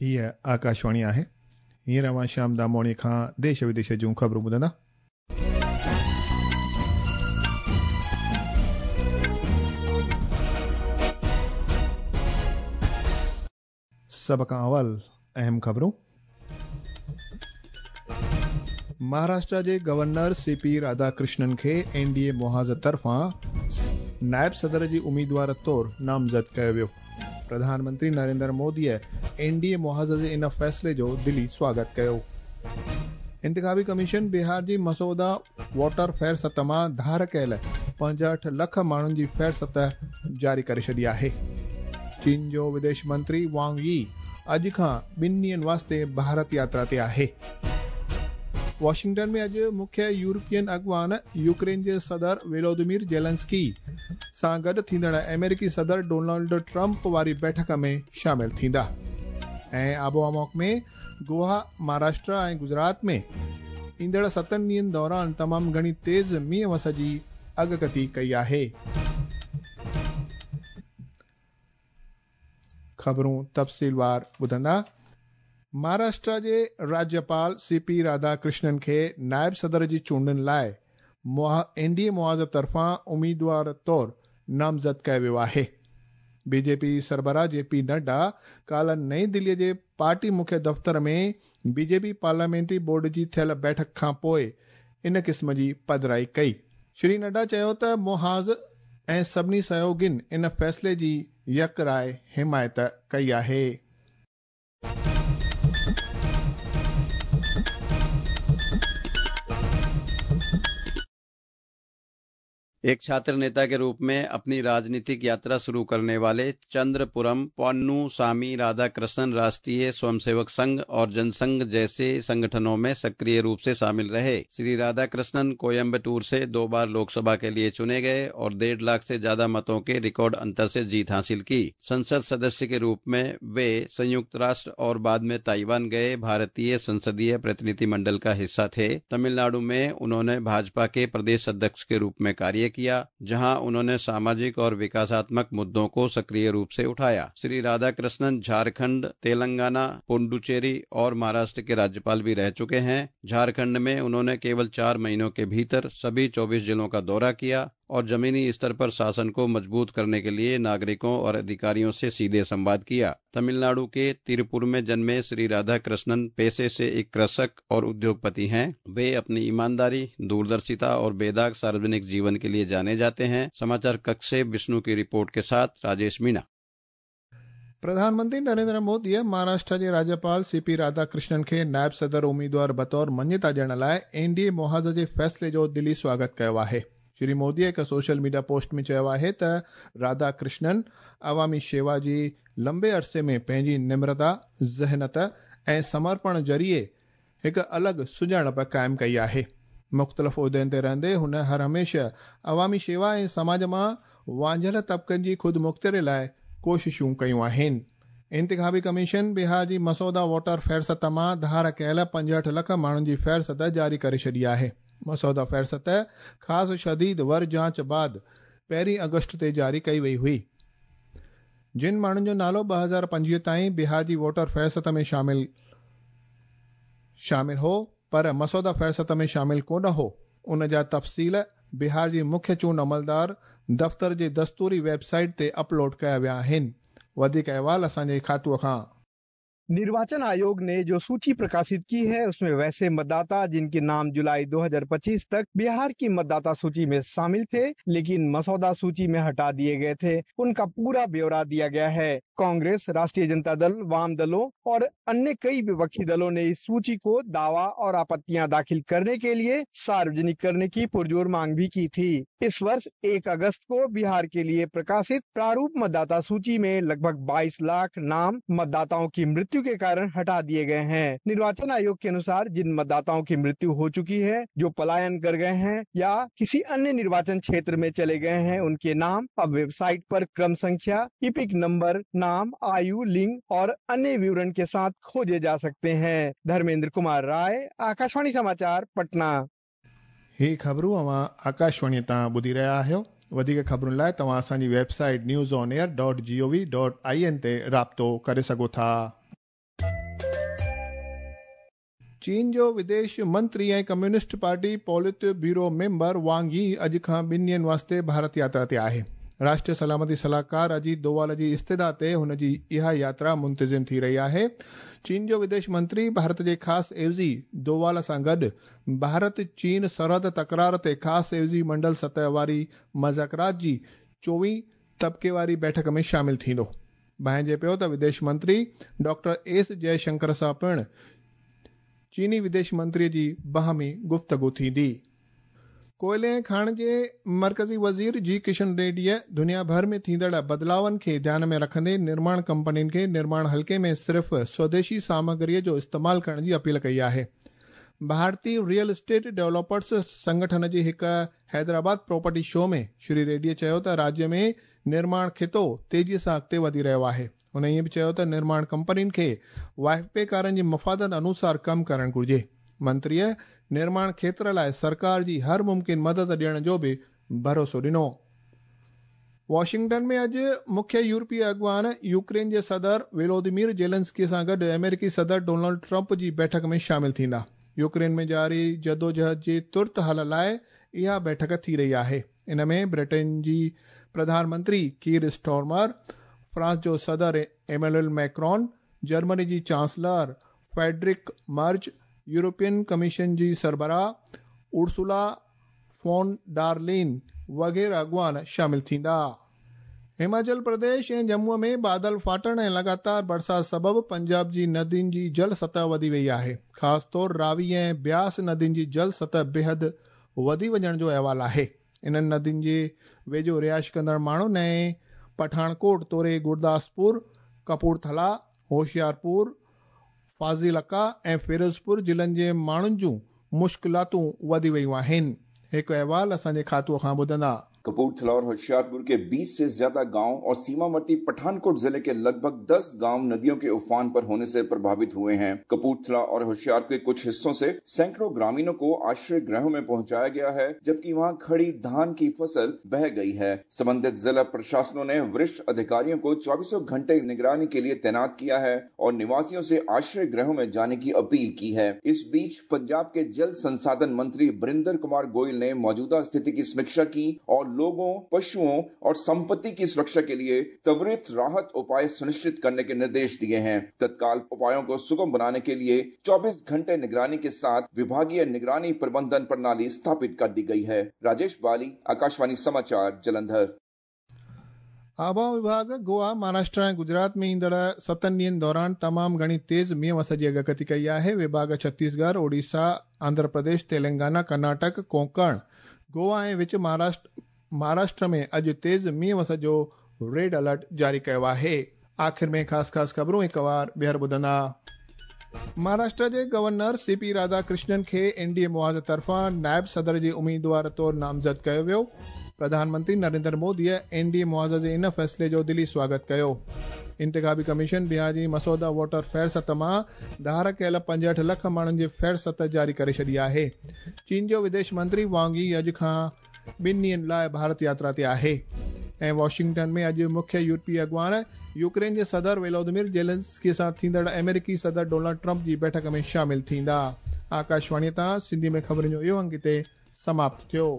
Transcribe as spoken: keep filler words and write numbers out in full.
हीअ आकाशवाणी आहे। हींअर अव्हां श्याम दामोणी खां देश विदेश जूं ख़बरूं ॿुधंदा। सभ खां अवल अहम ख़बरूं। महाराष्ट्र जे गवर्नर सी पी राधाकृष्णन खे एन डी ए मुहाज़ तरफ़ां नायब सदर जी उम्मीदवार तौर नामज़द कयो वियो। प्रधानमंत्री नरेंद्र मोदीअ एन डी ए मुहाज़ जे इन फ़ैसिले जो दिली स्वागत कयो। इंतिखाबी कमीशन बिहार जी मसौदा वोटर फ़हरिस्त मां धार कयल पंजहठि लख माण्हुनि जी फ़हरिस्त जारी करे छॾी आहे। चीन जो विदेश मंत्री वांग यी अॼु खां ॿिनि ॾींहनि वास्ते भारत यात्रा ते आहे। वॉशिंगटन में अॼु मुख्य यूरोपियन अॻवान यूक्रेन जे सदर वेलोदिमीर जेलेंस्की सां गॾु थींदड़ अमेरिकी सदर डोनाल्ड ट्रंप वारी बैठक में शामिल थींदा। ऐं आबोहवा में गोवा, महाराष्ट्र ऐं गुजरात में ईंदड़ सतनि ॾींहनि दौरान तमामु घणी तेज़ मींहुं वस जी अॻकथी कई आहे। ख़बरूं तफ़सीलवार ॿुधंदा। महाराष्ट्र जे राज्यपाल सी पी राधाकृष्णन खे नायब सदर जी चूंडनि लाइ एन डी ए मुहाज़ तरफ़ां उम्मीदवार तौर नामज़द कयो वियो आहे। बीजेपी सरबराह जे पी नड्डा काल्ह नई दिल्लीअ जे पार्टी मुख्य दफ़्तर में बीजेपी पार्लियामेंट्री बोर्ड जी थियल बैठक खां पोइ इन क़िस्म जी पधराई कई। श्री नड्डा चयो त मुहाज़ ऐं सभिनी सहयोगियुनि इन फ़ैसिले जी यकराय हिमायत कई आहे। एक छात्र नेता के रूप में अपनी राजनीतिक यात्रा शुरू करने वाले चंद्रपुरम पोन्नुसामी राधाकृष्णन राष्ट्रीय स्वयंसेवक संघ और जनसंघ जैसे संगठनों में सक्रिय रूप से शामिल रहे। श्री राधाकृष्णन कोयम्बटूर से दो बार लोकसभा के लिए चुने गए और डेढ़ लाख से ज्यादा मतों के रिकॉर्ड अंतर से जीत हासिल की। संसद सदस्य के रूप में वे संयुक्त राष्ट्र और बाद में ताइवान गए भारतीय संसदीय प्रतिनिधिमंडल का हिस्सा थे। तमिलनाडु में उन्होंने भाजपा के प्रदेश अध्यक्ष के रूप में कार्य किया, जहां उन्होंने सामाजिक और विकासात्मक मुद्दों को सक्रिय रूप से उठाया। श्री राधाकृष्णन झारखंड, तेलंगाना, पुडुचेरी और महाराष्ट्र के राज्यपाल भी रह चुके हैं। झारखंड में उन्होंने केवल चार महीनों के भीतर सभी चौबीस जिलों का दौरा किया और जमीनी स्तर पर शासन को मजबूत करने के लिए नागरिकों और अधिकारियों से सीधे संवाद किया। तमिलनाडु के तिरुपुर में जन्मे श्री राधाकृष्णन पेशे से एक कृषक और उद्योगपति हैं। वे अपनी ईमानदारी, दूरदर्शिता और बेदाग सार्वजनिक जीवन के लिए जाने जाते हैं। समाचार कक्ष से विष्णु की रिपोर्ट के साथ राजेश मीणा। प्रधानमंत्री नरेंद्र मोदीअ महाराष्ट्र जे राज्यपाल सी पी राधाकृष्णन खे नायब सदर उम्मीदवार बतौर मञता ॾियण लाइ एन डी ए मुहाज़ जे फ़ैसिले जो दिली स्वागत कयो आहे। श्री मोदी हिकु सोशल मीडिया पोस्ट में चयो आहे त राधाकृष्णन अवामी शेवा जी लंबे अरसे में पंहिंजी निम्रता, ज़हनत ऐं समर्पण ज़रिए हिकु अलॻि सुञाणप क़ाइमु कई आहे। मुख़्तलिफ़ उहिदनि ते रहंदे हुन हर हमेशह अवामी शेवा ऐं समाज मां वांझियल तबिकनि जी ख़ुदि मुख़्तियारी लाइ कोशिशूं कयूं आहिनि। इंतिखाबी कमीशन बिहार जी मसौदा वोटर फ़हरिस्त मां धार कयल पंजहठि लख माण्हुनि जी फ़हरिस्त जारी करे छॾी आहे। मसौदा फ़हरिस्त ख़ासि शदीद वर जांच बाद पहिरीं अगस्त ते जारी कई वई हुई। जिन माण्हुनि जो नालो ॿ हज़ार पंजवीह ताईं बिहार जी वोटर फ़हरिस्त में शामिल शामिल हो पर मसौदा फ़हरिस्त में शामिल कोन हो, उन जा तफ़सील बिहार जी मुख्य चूंड अमलदार दफ़्तर जे दस्तूरी वेबसाइट ते अपलोड कया विया आहिनि। वधीक अहवाल असांजे खातूअ खां। निर्वाचन आयोग ने जो सूची प्रकाशित की है उसमें वैसे मतदाता जिनके नाम जुलाई दो हज़ार पच्चीस तक बिहार की मतदाता सूची में शामिल थे लेकिन मसौदा सूची में हटा दिए गए थे, उनका पूरा ब्यौरा दिया गया है। कांग्रेस, राष्ट्रीय जनता दल, वाम दलों और अन्य कई विपक्षी दलों ने इस सूची को दावा और आपत्तियां दाखिल करने के लिए सार्वजनिक करने की पुरजोर मांग भी की थी। इस वर्ष एक अगस्त को बिहार के लिए प्रकाशित प्रारूप मतदाता सूची में लगभग बाईस लाख नाम मतदाताओं की मृत्यु के कारण हटा दिए गए हैं। निर्वाचन आयोग के अनुसार जिन मतदाताओं की मृत्यु हो चुकी है, जो पलायन कर गए हैं या किसी अन्य निर्वाचन क्षेत्र में चले गए हैं, उनके नाम अब वेबसाइट पर क्रम संख्या, इपिक नंबर, नाम, आयु, लिंग और अन्य विवरण के साथ खोजे जा सकते हैं। धर्मेंद्र कुमार राय, आकाशवाणी समाचार, पटना। ही ख़बरूं अव्हां आकाशवाणी तां ॿुधी रहिया आहियो। वधीक ख़बरुनि लाइ तव्हां असांजी website news on air dot G O V dot I N ते राब्तो करे सघो था। चीन जो विदेश मंत्री ऐं communist party politburo member Wang Yi अॼु खां ॿिनि ॾींहंनि वास्ते भारत यात्रा ते आहे। राष्ट्रीय सलामती सलाहकार अजीत डोवाल जी इस्तिदा ते हुन जी इहा यात्रा मुंतज़िम थी रही आहे। चीन जो विदेश मंत्री भारत जे ख़ासि एवज़ी डोवाल सां गॾु भारत चीन सरहद तकरार ते ख़ासि एवज़ी मंडल सतह वारी मुज़ाकरात जी चोवीह तबिके वारी बैठक में शामिल थींदो। भांइजे पियो त विदेश मंत्री डॉक्टर एस जयशंकर सां पिणु चीनी विदेश मंत्रीअ जी बाहमी गुफ्तगू थींदी। कोयले ऐं खाण जे मर्कज़ी वज़ीर जी किशन रेड्डीअ दुनिया भर में थींदड़ बदिलावनि खे ध्यान में रखंदे निर्माण कंपनियुनि खे निर्माण हल्के में सिर्फ़ स्वदेशी सामग्रीअ जो इस्तेमालु करण जी अपील कई आहे। भारतीय रियल एस्टेट डेवलपर्स संगठन जी हिकु हैदराबाद प्रॉपर्टी शो में श्री रेड्डीअ चयो त राज्य में निर्माण खितो तेज़ीअ सां अॻिते वधी रहियो आहे। हुन ईअं बि चयो त निर्माण कंपनियुनि खे वाहिपेदारनि जे मफ़ादनि अनुसार कमु करणु घुरिजे। मंत्रीअ निर्माण क्षेत्र लाइ सरकार जी हर मुमकिन मदद ॾियण जो बि भरोसो ॾिनो। वॉशिंगटन में अॼु मुख्य यूरोपीय अॻुवान यूक्रेन जे सदर वोलोदिमीर जेलेंस्की सां गॾु अमेरिकी सदर डोनाल्ड ट्रंप जी बैठक में शामिल थींदा। यूक्रेन में जारी जदोजहद जे तुर्त हल लाइ इहा बैठक थी रही आहे। इन में ब्रिटेन जी प्रधानमंत्री कीर स्टॉर्मर, फ्रांस जो सदर एमेनुअल मैक्रॉन, जर्मनी जी chancellor Friedrich Merz, European commission जी सरबराह उर्सुला फॉन डार्लिन वग़ैरह अॻुवान शामिल थींदा। हिमाचल प्रदेश ऐं जम्मूअ में बादल फाटण ऐं लगातार बरसाति सबबु पंजाब जी नदियुनि जी जल सतह वधी वई आहे। ख़ासि तौर रावी ऐं ब्यास नदियुनि जी जल सतह बेहद वधी वञण जो अहवाल आहे। इन्हनि नदियुनि जे वेझो रिहाइश कंदड़ माण्हुनि ऐं पठानकोट तोड़े गुरदासपुर, कपूरथला, होशियारपुर, फाज़िलका ऐं फिरोज़पुर ज़िलनि जे माण्हुनि जूं मुश्किलातूं वधी वयूं आहिनि। हिकु अहवाल असांजे खातूअ खां ॿुधंदा। कपूरथला और होशियारपुर के बीस से ज्यादा गांव और सीमावर्ती पठानकोट जिले के लगभग दस गांव नदियों के उफान पर होने से प्रभावित हुए हैं। कपूरथला और होशियारपुर के कुछ हिस्सों से सैकड़ों ग्रामीणों को आश्रय गृहों में पहुंचाया गया है, जबकि वहां खड़ी धान की फसल बह गई है। संबंधित जिला प्रशासनों ने वरिष्ठ अधिकारियों को चौबीसों घंटे निगरानी के लिए तैनात किया है और निवासियों से आश्रय गृहों में जाने की अपील की है। इस बीच पंजाब के जल संसाधन मंत्री बरिंदर कुमार गोयल ने मौजूदा स्थिति की समीक्षा की और लोगों, पशुओं और संपत्ति की सुरक्षा के लिए त्वरित राहत उपाय सुनिश्चित करने के निर्देश दिए हैं। तत्काल उपायों को सुगम बनाने के लिए चौबीस घंटे निगरानी के साथ विभागीय निगरानी प्रबंधन प्रणाली स्थापित कर दी गई है। राजेश बाली, आकाशवाणी समाचार, जलंधर। आबहावा विभाग गोवा, महाराष्ट्र ऐं गुजरात में ईंदड़ सतनि ॾींहंनि दौरान तमामु घणी तेज़ मींहुं वस जी अॻकथी कई आहे। विभाग छत्तीसगढ़, ओडिशा, आंध्र प्रदेश, तेलंगाना, कर्नाटक, कोंकण, गोवा ऐं विच महाराष्ट्र महाराष्ट्र में अॼु तेज़ मींहुं वस जो रेड अलर्ट जारी कयो आहे। आख़िर में ख़ासि ख़ासि ख़बरूं हिकु वार ॿीहर ॿुधंदा। महाराष्ट्र जे गवर्नर सी पी राधाकृष्णन खे एन डी ए मुआज़ तरफ़ां नायब सदर जे उम्मीदवार तौर नामज़द कयो वियो। प्रधानमंत्री नरेंद्र मोदीअ एन डी ए मुआज़ जे इन फ़ैसिले जो दिली स्वागत कयो। इंतिखाबी कमीशन बिहार जी मसौदा वोटर फ़हरिस्त मां धार कयल पंजहठि लख माण्हुनि जी फ़हरिस्त जारी करे छॾी आहे। चीन जो विदेश मंत्री वांग यी अॼु खां ॿिनि ॾींहंनि लाइ भारत यात्रा ते आहे। ऐं वॉशिंगटन में अॼु मुख्य यूरोपीय अॻुवान यूक्रेन जे सदर वोलोदिमीर जेलेंस्की सां थींदड़ अमेरिकी सदर डोनाल्ड ट्रंप जी बैठक में शामिल थींदा। आकाशवाणीअ तां सिंधी में ख़बरुनि जो इहो अंग हिते समाप्त थियो।